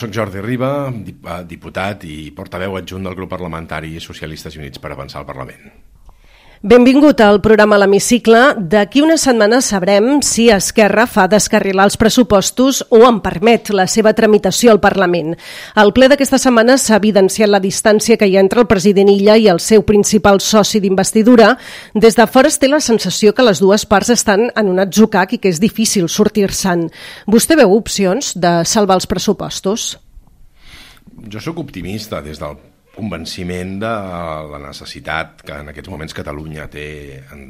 Soc Jordi Riba, diputat i portaveu adjunt del grup parlamentari Socialistes i Units per Avançar al Parlament. Benvingut al programa L'Hemicicle. D'aquí una setmana sabrem si Esquerra fa descarrilar els pressupostos o en permet la seva tramitació al Parlament. Al ple d'aquesta setmana s'ha evidenciat la distància que hi ha entre el president Illa i el seu principal soci d'investidura. Des de fora es té la sensació que les dues parts estan en un atzucac i que és difícil sortir-se'n. Vostè veu opcions de salvar els pressupostos? Jo sóc optimista des del convenciment de la necessitat que en aquests moments Catalunya té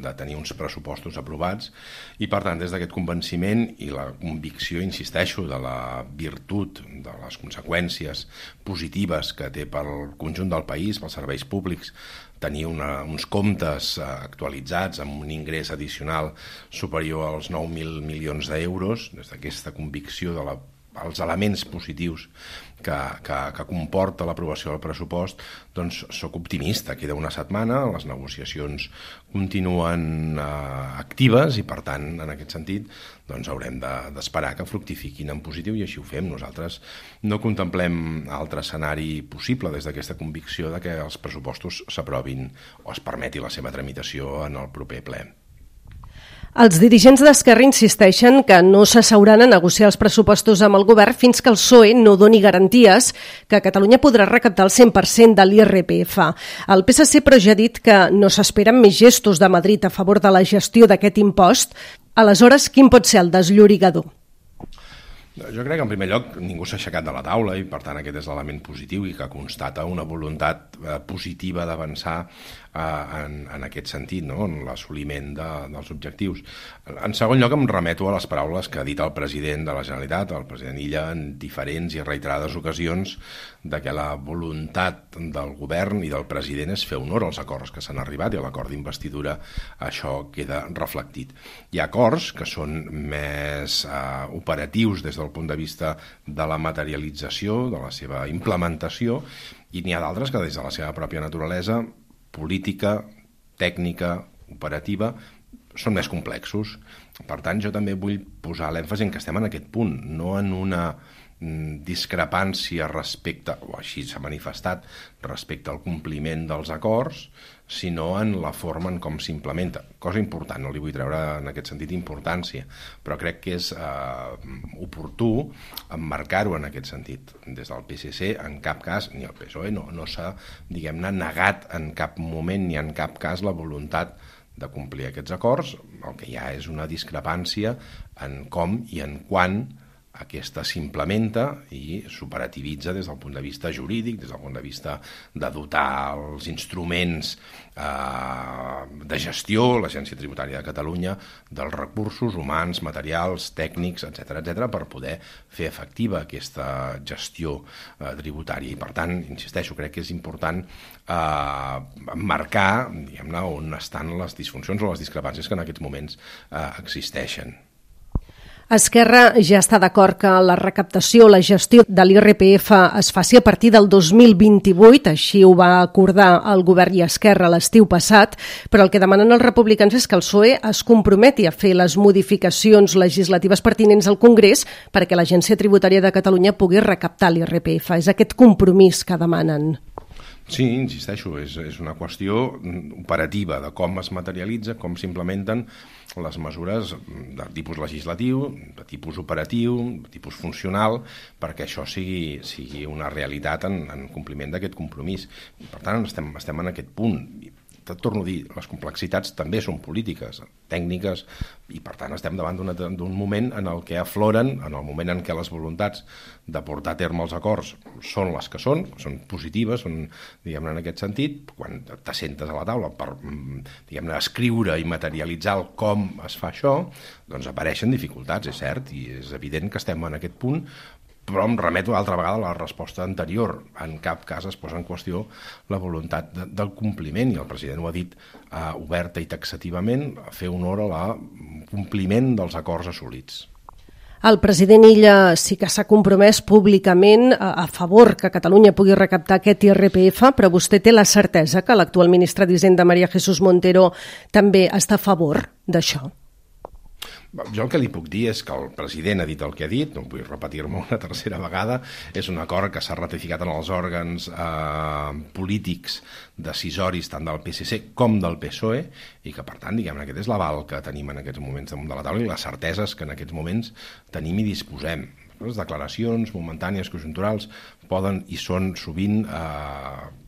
de tenir uns pressupostos aprovats i, per tant, des d'aquest convenciment i la convicció, insisteixo, de la virtut, de les conseqüències positives que té pel conjunt del país, pels serveis públics, tenir uns comptes actualitzats amb un ingrés addicional superior als 9.000 milions d'euros, des d'aquesta convicció els elements positius que comporta l'aprovació del pressupost, doncs sóc optimista. Queda una setmana, les negociacions continuen actives i, per tant, en aquest sentit, doncs haurem d'esperar que fructifiquin en positiu i així ho fem. Nosaltres no contemplem altre escenari possible des d'aquesta convicció de que els pressupostos s'aprovin o es permeti la seva tramitació en el proper ple. Els dirigents d'Esquerra insisteixen que no s'asseuran a negociar els pressupostos amb el govern fins que el PSOE no doni garanties que Catalunya podrà recaptar el 100% de l'IRPF. El PSC però ja ha dit que no s'esperen més gestos de Madrid a favor de la gestió d'aquest impost. Aleshores, quin pot ser el desllorigador? Jo crec que, en primer lloc, ningú s'ha aixecat de la taula i, per tant, aquest és l'element positiu i que constata una voluntat positiva d'avançar en aquest sentit, no? En l'assoliment dels objectius. En segon lloc, em remeto a les paraules que ha dit el president de la Generalitat, el president Illa, en diferents i reiterades ocasions, de que la voluntat del govern i del president és fer honor als acords que s'han arribat i a l'acord d'investidura això queda reflectit. Hi ha acords que són més operatius des del punt de vista de la materialització, de la seva implementació, i n'hi ha d'altres que des de la seva pròpia naturalesa política, tècnica, operativa, són més complexos. Per tant, jo també vull posar l'èmfasi en que estem en aquest punt, no en una discrepància respecte, o així s'ha manifestat, respecte al compliment dels acords, sinó en la forma en com s'implementa. Cosa important, no li vull treure en aquest sentit importància, però crec que és oportú emmarcar-ho en aquest sentit. Des del PSC, en cap cas, ni el PSOE no s'ha, diguem-ne, negat en cap moment ni en cap cas la voluntat de complir aquests acords. El que hi ha és una discrepància en com i en quan aquesta s'implementa i s'operativitza des del punt de vista jurídic, des del punt de vista de dotar els instruments de gestió, l'Agència Tributària de Catalunya, dels recursos humans, materials, tècnics, etc., per poder fer efectiva aquesta gestió tributària. I, per tant, insisteixo, crec que és important marcar, diguem-ne, on estan les disfuncions o les discrepàncies que en aquests moments existeixen. Esquerra ja està d'acord que la recaptació, la gestió de l'IRPF es faci a partir del 2028, així ho va acordar el govern i Esquerra l'estiu passat, però el que demanen els republicans és que el PSOE es comprometi a fer les modificacions legislatives pertinents al Congrés perquè l'Agència Tributària de Catalunya pugui recaptar l'IRPF. És aquest compromís que demanen. Sí, insisteixo, és una qüestió operativa de com es materialitza, com s'implementen les mesures de tipus legislatiu, de tipus operatiu, de tipus funcional, perquè això sigui una realitat en compliment d'aquest compromís. Per tant, estem en aquest punt. Torno a dir, les complexitats també són polítiques, tècniques, i per tant estem davant d'un moment en el que afloren, en el moment en què les voluntats de portar a terme els acords són les que són positives, són, diguem-ne, en aquest sentit, quan t'assentes a la taula per, diguem-ne, escriure i materialitzar el com es fa això, doncs apareixen dificultats, és cert, i és evident que estem en aquest punt, però em remeto altra vegada a la resposta anterior. En cap cas es posa en qüestió la voluntat del compliment, i el president ho ha dit oberta i taxativament, fer honor al compliment dels acords assolits. El president Illa sí que s'ha compromès públicament a favor que Catalunya pugui recaptar aquest IRPF, però vostè té la certesa que l'actual ministra d'Hisenda, María Jesús Montero, també està a favor d'això? Jo el que li puc dir és que el president ha dit el que ha dit, no vull repetir-me una tercera vegada, és un acord que s'ha ratificat en els òrgans polítics decisoris tant del PSC com del PSOE i que, per tant, diguem-ne, aquest és l'aval que tenim en aquests moments damunt de la taula i les certeses que en aquests moments tenim i disposem. Les declaracions momentànies, conjunturals, poden i són sovint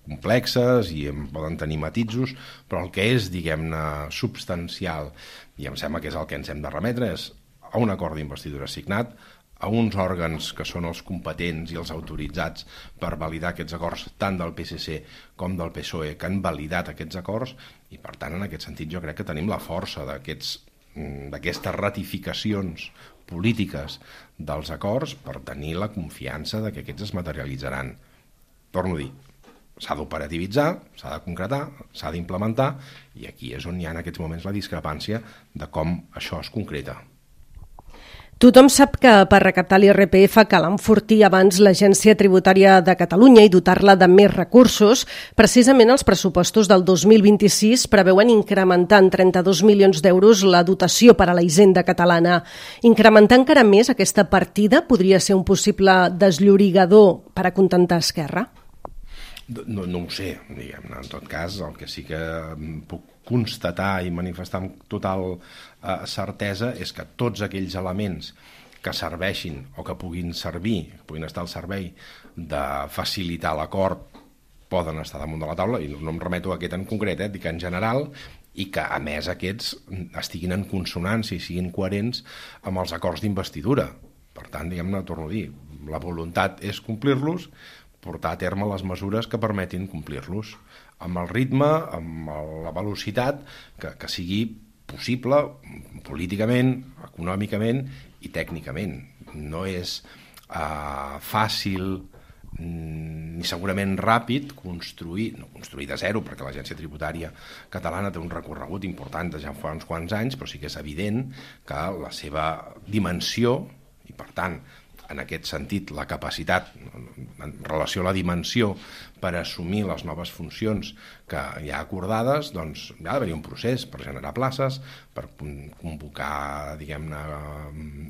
complexes i poden tenir matisos, però el que és, diguem-ne, substancial, i em sembla que és el que ens hem de remetre, és a un acord d'investidura signat, a uns òrgans que són els competents i els autoritzats per validar aquests acords, tant del PSC com del PSOE, que han validat aquests acords, i per tant, en aquest sentit, jo crec que tenim la força d'aquestes ratificacions polítiques dels acords per tenir la confiança de que aquests es materialitzaran. Torno a dir, s'ha d'operativitzar, s'ha de concretar, s'ha d'implementar, i aquí és on hi ha en aquests moments la discrepància de com això es concreta. Tothom sap que per recaptar l'IRPF cal enfortir abans l'Agència Tributària de Catalunya i dotar-la de més recursos. Precisament els pressupostos del 2026 preveuen incrementar en 32 milions d'euros la dotació per a la Hisenda catalana. Incrementar encara més aquesta partida podria ser un possible desllorigador per acontentar Esquerra? No ho sé, diguem-ne. En tot cas, el que sí que puc constatar i manifestar amb total certesa és que tots aquells elements que serveixin o que puguin servir, que puguin estar al servei de facilitar l'acord, poden estar damunt de la taula, i no em remeto a aquest en concret, dic en general, i que a més aquests estiguin en consonància i siguin coherents amb els acords d'investidura. Per tant, diguem-ne, torno a dir, la voluntat és complir-los, portar a terme les mesures que permetin complir-los amb el ritme, amb la velocitat que sigui possible políticament, econòmicament i tècnicament. No és fàcil ni segurament ràpid construir de zero, perquè l'Agència Tributària Catalana té un recorregut important de ja fa uns quants anys, però sí que és evident que la seva dimensió i, per tant, en aquest sentit, la capacitat en relació a la dimensió per assumir les noves funcions que hi ha acordades, doncs hi ha d'haver un procés per generar places, per convocar, diguem-ne,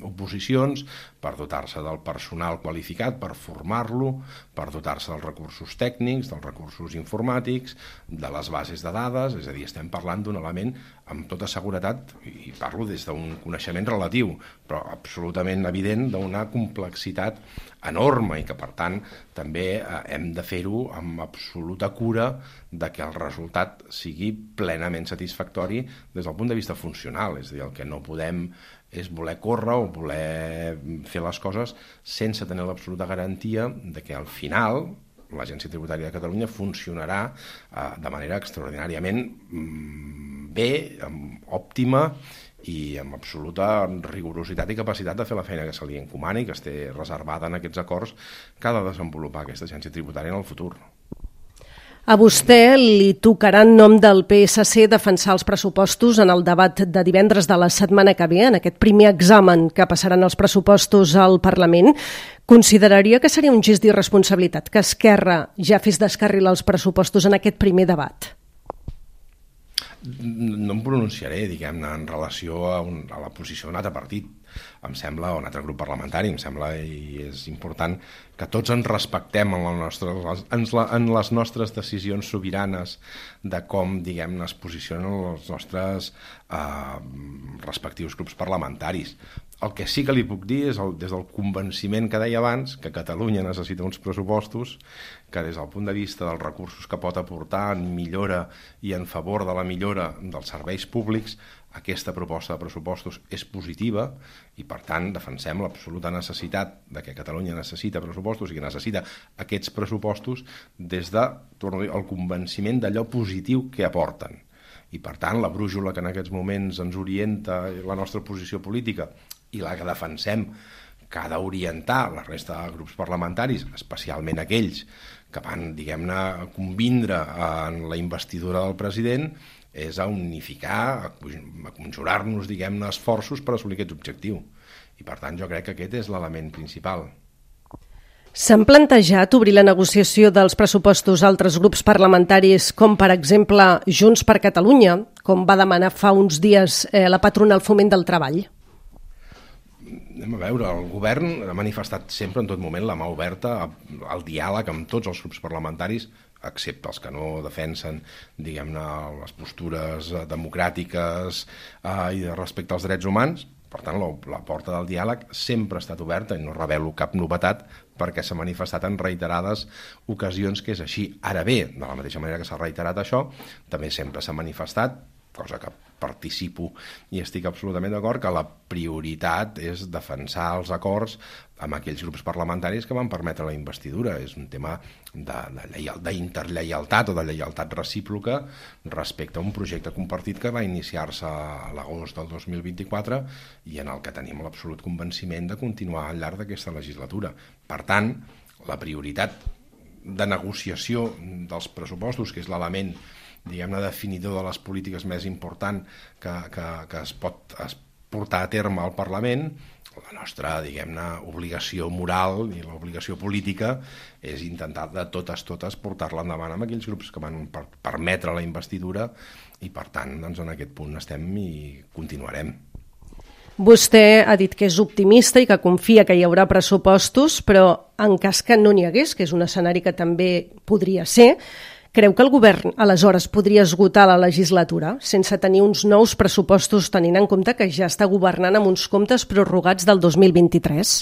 oposicions, per dotar-se del personal qualificat, per formar-lo, per dotar-se dels recursos tècnics, dels recursos informàtics, de les bases de dades, és a dir, estem parlant d'un element amb tota seguretat, i parlo des d'un coneixement relatiu, però absolutament evident, d'una complexitat enorme i que, per tant, també hem de fer-ho amb absoluta cura de que el resultat sigui plenament satisfactori des del punt de vista funcional. És a dir, el que no podem és voler córrer o voler fer les coses sense tenir l'absoluta garantia de que al final l'Agència Tributària de Catalunya funcionarà de manera extraordinàriament bé, òptima i amb absoluta rigorositat i capacitat de fer la feina que se li encomani, que esté reservada en aquests acords que ha de desenvolupar aquesta agència tributària en el futur. A vostè li tocarà en nom del PSC defensar els pressupostos en el debat de divendres de la setmana que ve, en aquest primer examen que passaran els pressupostos al Parlament. Consideraria que seria un gest d'irresponsabilitat que Esquerra ja fes descarrilar els pressupostos en aquest primer debat? No em pronunciaré, diguem-ne, en relació a la posició d'un altre partit. Em sembla, o un altre grup parlamentari, em sembla, i és important que tots ens respectem en les nostres decisions sobiranes de com, diguem-ne, es posicionen els nostres respectius grups parlamentaris. El que sí que li puc dir és, des del convenciment que deia abans, que Catalunya necessita uns pressupostos, que des del punt de vista dels recursos que pot aportar en millora i en favor de la millora dels serveis públics, aquesta proposta de pressupostos és positiva i, per tant, defensem l'absoluta necessitat de que Catalunya necessita pressupostos i que necessita aquests pressupostos des de, torno a dir, el convenciment d'allò positiu que aporten. I, per tant, la brújula que en aquests moments ens orienta la nostra posició política i la que defensem que ha d'orientar la resta de grups parlamentaris, especialment aquells que van, diguem-ne, convindre en la investidura del president, és a unificar, a conjurar-nos, diguem-ne, esforços per assolir aquest objectiu. I, per tant, jo crec que aquest és l'element principal. S'han plantejat obrir la negociació dels pressupostos a altres grups parlamentaris, com per exemple Junts per Catalunya, com va demanar fa uns dies la patronal Foment del Treball? Anem a veure, el govern ha manifestat sempre en tot moment la mà oberta al diàleg amb tots els grups parlamentaris, excepte els que no defensen, diguem-ne, les postures democràtiques i respecte als drets humans. Per tant, la porta del diàleg sempre ha estat oberta i no revelo cap novetat perquè s'ha manifestat en reiterades ocasions que és així. Ara bé, de la mateixa manera que s'ha reiterat això, també sempre s'ha manifestat, cosa que participo i estic absolutament d'acord, que la prioritat és defensar els acords amb aquells grups parlamentaris que van permetre la investidura. És un tema d'interlleialtat o de lleialtat recíproca respecte a un projecte compartit que va iniciar-se a l'agost del 2024 i en el que tenim l'absolut convenciment de continuar al llarg d'aquesta legislatura. Per tant, la prioritat de negociació dels pressupostos, que és l'element, diguem-ne, definidor de les polítiques més important que es pot portar a terme al Parlament, la nostra, diguem-ne, obligació moral i l'obligació política és intentar de totes portar-la endavant amb aquells grups que van permetre la investidura i, per tant, doncs, en aquest punt estem i continuarem. Vostè ha dit que és optimista i que confia que hi haurà pressupostos, però en cas que no n'hi hagués, que és un escenari que també podria ser, creu que el govern aleshores podria esgotar la legislatura sense tenir uns nous pressupostos, tenint en compte que ja està governant amb uns comptes prorrogats del 2023?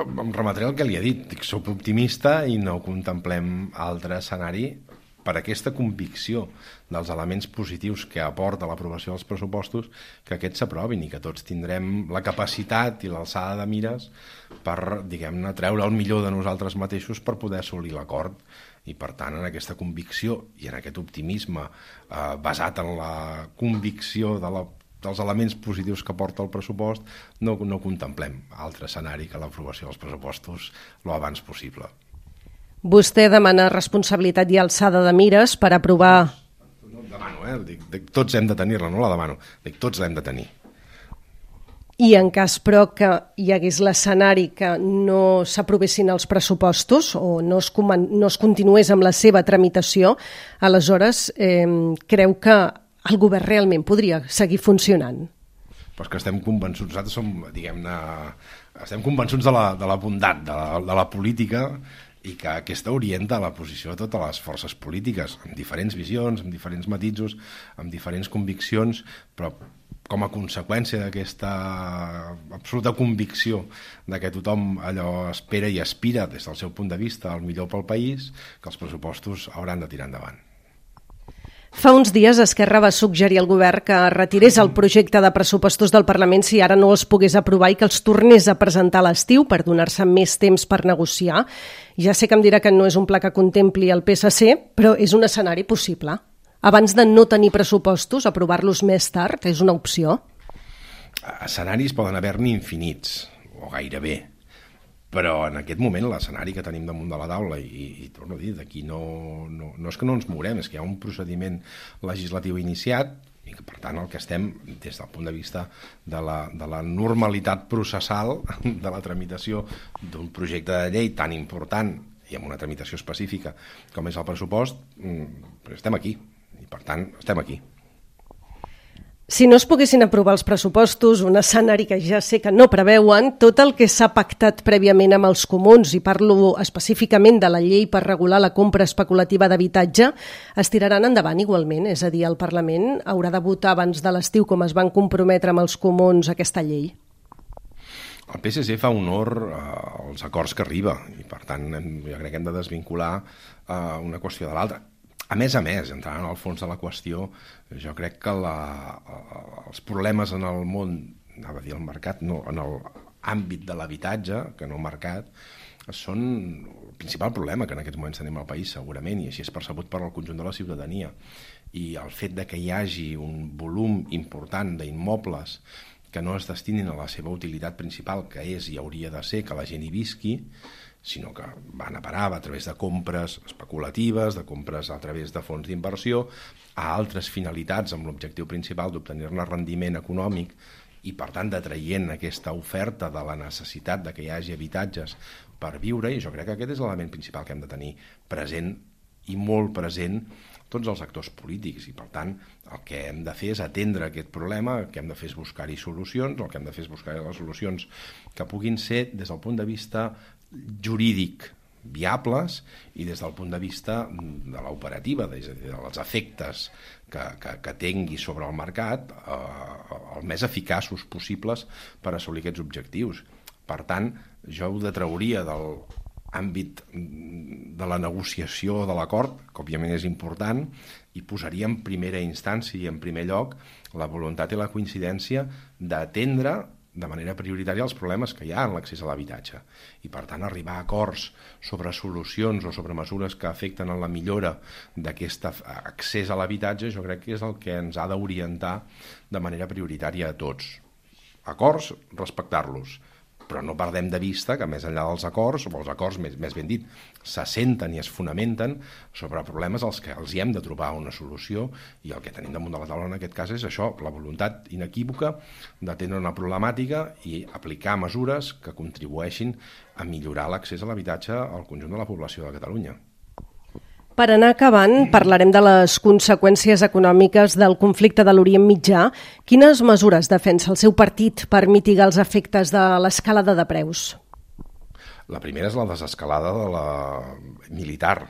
Em remetré el que li he dit. Soc optimista i no contemplem altre escenari per aquesta convicció dels elements positius que aporta l'aprovació dels pressupostos, que aquests s'aprovin i que tots tindrem la capacitat i l'alçada de mires per, diguem-ne, treure el millor de nosaltres mateixos per poder assolir l'acord. I, per tant, en aquesta convicció i en aquest optimisme basat en la convicció dels elements positius que porta el pressupost, no contemplem altre escenari que l'aprovació dels pressupostos lo abans possible. Vostè demana responsabilitat i alçada de mires per aprovar... No demano, dic, tots hem de tenir-la, no la demano, dic, tots l'hem de tenir. I en cas, però, que hi hagués l'escenari que no s'aprovessin els pressupostos o no es continués amb la seva tramitació, aleshores creu que el govern realment podria seguir funcionant? Però és que estem convençuts, nosaltres som, diguem-ne, estem convençuts de la bondat de la política i que aquesta orienta la posició de totes les forces polítiques, amb diferents visions, amb diferents matisos, amb diferents conviccions, però com a conseqüència d'aquesta absoluta convicció de que tothom allò espera i aspira des del seu punt de vista al millor pel país, que els pressupostos hauran de tirar endavant. Fa uns dies Esquerra va suggerir al govern que retirés el projecte de pressupostos del Parlament si ara no els pogués aprovar i que els tornés a presentar a l'estiu per donar-se més temps per negociar. Ja sé que em dirà que no és un pla que contempli el PSC, però és un escenari possible. Abans de no tenir pressupostos, aprovar-los més tard és una opció? Escenaris poden haver-n'hi infinits, o gairebé. Però en aquest moment l'escenari que tenim damunt de la taula, i torno a dir, d'aquí no és que no ens mourem, és que hi ha un procediment legislatiu iniciat i que, per tant, el que estem, des del punt de vista de la normalitat processal de la tramitació d'un projecte de llei tan important i amb una tramitació específica com és el pressupost, estem aquí, i per tant estem aquí. Si no es poguessin aprovar els pressupostos, un escenari que ja sé que no preveuen, tot el que s'ha pactat prèviament amb els comuns, i parlo específicament de la llei per regular la compra especulativa d'habitatge, es tiraran endavant igualment, és a dir, el Parlament haurà de votar abans de l'estiu com es van comprometre amb els comuns aquesta llei. El PSC fa honor als acords que arriba i, per tant, jo crec que hem de desvincular una qüestió de l'altra. A més, entrant en el fons de la qüestió, jo crec que els problemes en el món, anava a dir el mercat, no, en l'àmbit de l'habitatge, que no mercat, són el principal problema que en aquests moments tenim al país, segurament, i així és percebut per al conjunt de la ciutadania. I el fet de que hi hagi un volum important d'immobles que no es destinin a la seva utilitat principal, que és i hauria de ser que la gent hi visqui, sinó que van a parar a través de compres especulatives, de compres a través de fons d'inversió, a altres finalitats amb l'objectiu principal d'obtenir-ne rendiment econòmic i, per tant, detraient aquesta oferta de la necessitat de que hi hagi habitatges per viure, i jo crec que aquest és l'element principal que hem de tenir present i molt present tots els actors polítics, i per tant el que hem de fer és atendre aquest problema, el que hem de fer és buscar-hi solucions, el que hem de fer és buscar les solucions que puguin ser des del punt de vista jurídic viables i des del punt de vista de l'operativa, dels efectes que tingui sobre el mercat, el més eficaços possibles per assolir aquests objectius. Per tant, jo ho detrauria del àmbit de la negociació de l'acord, que òbviament és important, i posaria en primera instància i en primer lloc la voluntat i la coincidència d'atendre de manera prioritària els problemes que hi ha en l'accés a l'habitatge. I, per tant, arribar a acords sobre solucions o sobre mesures que afecten en la millora d'aquest accés a l'habitatge, jo crec que és el que ens ha d'orientar de manera prioritària a tots. Acords, respectar-los, però no perdem de vista que més enllà dels acords, o els acords més ben dit, s'assenten i es fonamenten sobre problemes als que els hi hem de trobar una solució, i el que tenim damunt de la taula en aquest cas és això, la voluntat inequívoca d'atendre una problemàtica i aplicar mesures que contribueixin a millorar l'accés a l'habitatge al conjunt de la població de Catalunya. Per anar acabant, parlarem de les conseqüències econòmiques del conflicte de l'Orient Mitjà. Quines mesures defensa el seu partit per mitigar els efectes de l'escalada de preus? La primera és la desescalada de la militar,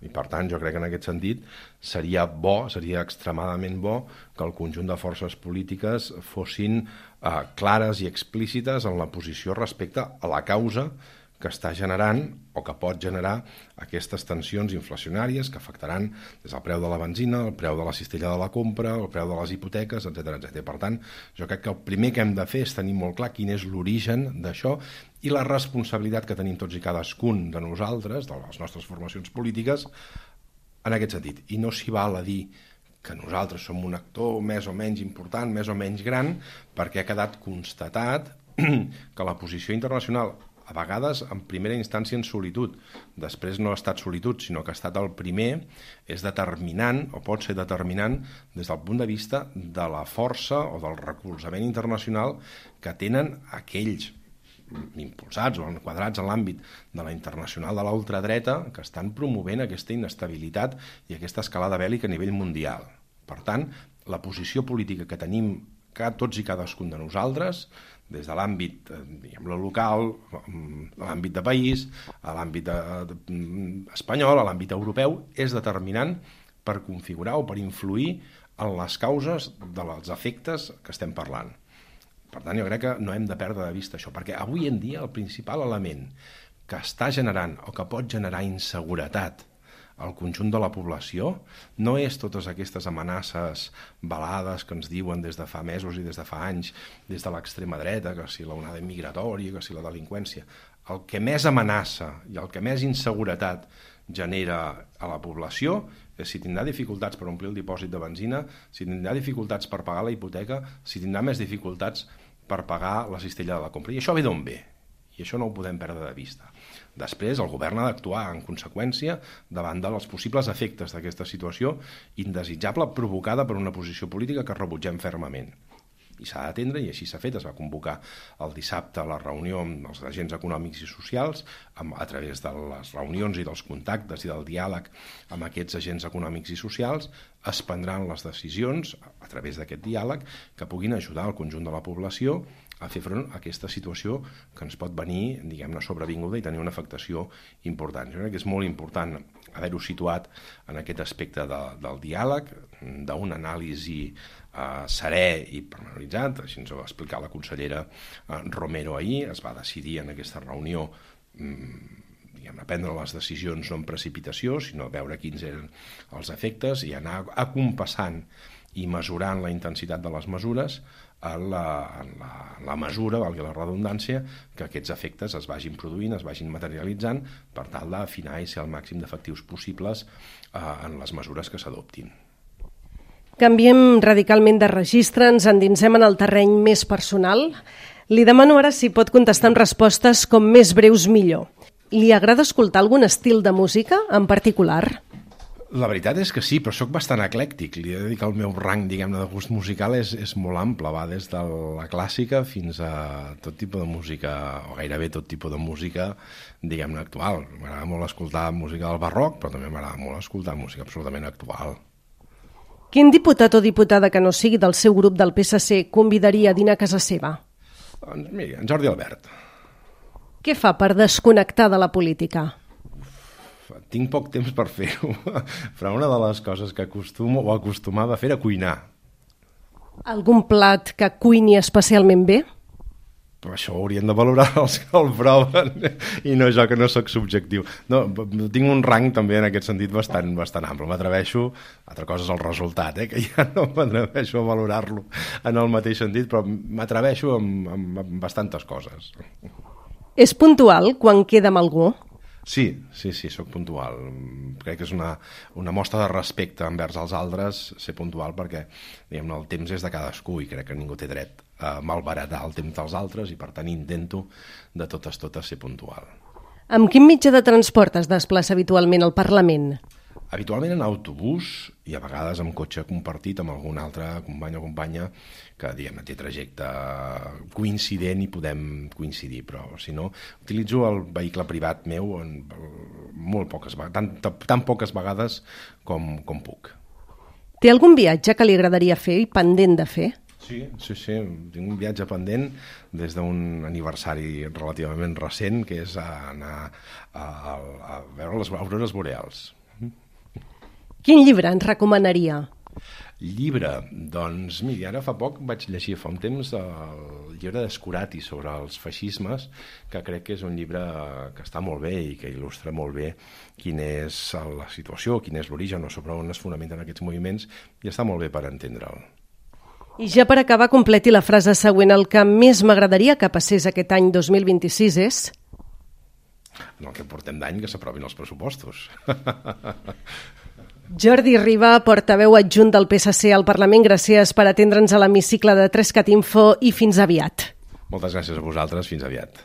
i per tant jo crec que en aquest sentit seria extremadament bo que el conjunt de forces polítiques fossin clares i explícites en la posició respecte a la causa que està generant o que pot generar aquestes tensions inflacionàries que afectaran des del preu de la benzina, el preu de la cistella de la compra, el preu de les hipoteques, etc. Per tant, jo crec que el primer que hem de fer és tenir molt clar quin és l'origen d'això i la responsabilitat que tenim tots i cadascun de nosaltres, de les nostres formacions polítiques, en aquest sentit. I no s'hi val a dir que nosaltres som un actor més o menys important, més o menys gran, perquè ha quedat constatat que la posició internacional, a vegades en primera instància en solitud, després no ha estat solitud, sinó que ha estat el primer, és determinant, o pot ser determinant, des del punt de vista de la força o del recolzament internacional que tenen aquells impulsats o enquadrats en l'àmbit de la internacional de l'ultradreta que estan promovent aquesta inestabilitat i aquesta escalada bèl·lica a nivell mundial. Per tant, la posició política que tenim tots i cadascun de nosaltres, des de l'àmbit local, a l'àmbit de país, a l'àmbit espanyol, a l'àmbit europeu, és determinant per configurar o per influir en les causes dels efectes que estem parlant. Per tant, jo crec que no hem de perdre de vista això, perquè avui en dia el principal element que està generant o que pot generar inseguretat al conjunt de la població no és totes aquestes amenaces velades que ens diuen des de fa mesos i des de fa anys, des de l'extrema dreta, que si l'onada migratòria, que si la delinqüència. El que més amenaça i el que més inseguretat genera a la població és si tindrà dificultats per omplir el dipòsit de benzina, si tindrà dificultats per pagar la hipoteca, si tindrà més dificultats per pagar la cistella de la compra. I això ve d'on ve? I això no ho podem perdre de vista. Després, el govern ha d'actuar en conseqüència davant dels possibles efectes d'aquesta situació indesitjable provocada per una posició política que rebutgem fermament. I s'ha d'atendre, i així s'ha fet. Es va convocar el dissabte la reunió amb els agents econòmics i socials, a través de les reunions i dels contactes i del diàleg amb aquests agents econòmics i socials, es prendran les decisions, a través d'aquest diàleg, que puguin ajudar el conjunt de la població a fer front a aquesta situació que ens pot venir, diguem-ne, sobrevinguda i tenir una afectació important. Jo crec que és molt important haver-ho situat en aquest aspecte del diàleg, d'una anàlisi serè i pormenoritzat, així ens ho va explicar la consellera Romero ahir. Es va decidir en aquesta reunió prendre les decisions no en precipitació, sinó veure quins eren els efectes i anar acompassant i mesurant la intensitat de les mesures en la mesura, valgui la redundància, que aquests efectes es vagin produint, es vagin materialitzant per tal d'afinar i ser el màxim d'efectius possibles en les mesures que s'adoptin. Canviem radicalment de registre, ens endinsem en el terreny més personal. Li demano ara si pot contestar amb respostes com més breus millor. Li agrada escoltar algun estil de música en particular? La veritat és que sí, però sóc bastant eclèctic. Li he de dir que el meu rang, diguem-ne, de gust musical és molt ample, va des de la clàssica fins a tot tipus de música, o gairebé tot tipus de música, diguem-ne, actual. M'agrada molt escoltar música del barroc, però també m'agrada molt escoltar música absolutament actual. Quin diputat o diputada que no sigui del seu grup del PSC convidaria a dinar a casa seva? Doncs mira, en Jordi Albert. Què fa per desconnectar de la política? Tinc poc temps per fer-ho, però una de les coses que acostumo o acostumava a fer era cuinar. Algun plat que cuini especialment bé? Però això ho haurien de valorar els que el proven i no jo, que no sóc subjectiu. No, tinc un rang també en aquest sentit bastant ample. M'atreveixo, altra cosa és el resultat, que ja no m'atreveixo a valorar-lo en el mateix sentit, però m'atreveixo amb bastantes coses. És puntual quan queda amb algú? Sí, sóc puntual. Crec que és una mostra de respecte envers els altres ser puntual perquè diguem-ne, el temps és de cadascú i crec que ningú té dret a malbaratar el temps dels altres i per tant intento de totes ser puntual. Amb quin mitjà de transport es desplaça habitualment al Parlament? Habitualment en autobús i a vegades amb cotxe compartit amb algun altre company o companya que diguem-ne té trajecte coincident i podem coincidir, però si no utilitzo el vehicle privat meu molt poques vegades, tan poques vegades com puc. Té algun viatge que li agradaria fer i pendent de fer? Sí, tinc un viatge pendent des d'un aniversari relativament recent que és anar a veure les aurores boreals. Quin llibre ens recomanaria? Llibre? Doncs, miri, ara fa poc vaig llegir fa un temps el llibre d'Escurati sobre els feixismes, que crec que és un llibre que està molt bé i que il·lustra molt bé quina és la situació, quin és l'origen o sobre on es fonamenten aquests moviments i està molt bé per entendre'l. I ja per acabar, completi la frase següent. El que més m'agradaria que passés aquest any 2026 és... En el que portem d'any que s'aprovin els pressupostos. Jordi Riba, portaveu adjunt del PSC al Parlament, gràcies per atendre'ns a l'hemicicle de 3CAT Info i fins aviat. Moltes gràcies a vosaltres, fins aviat.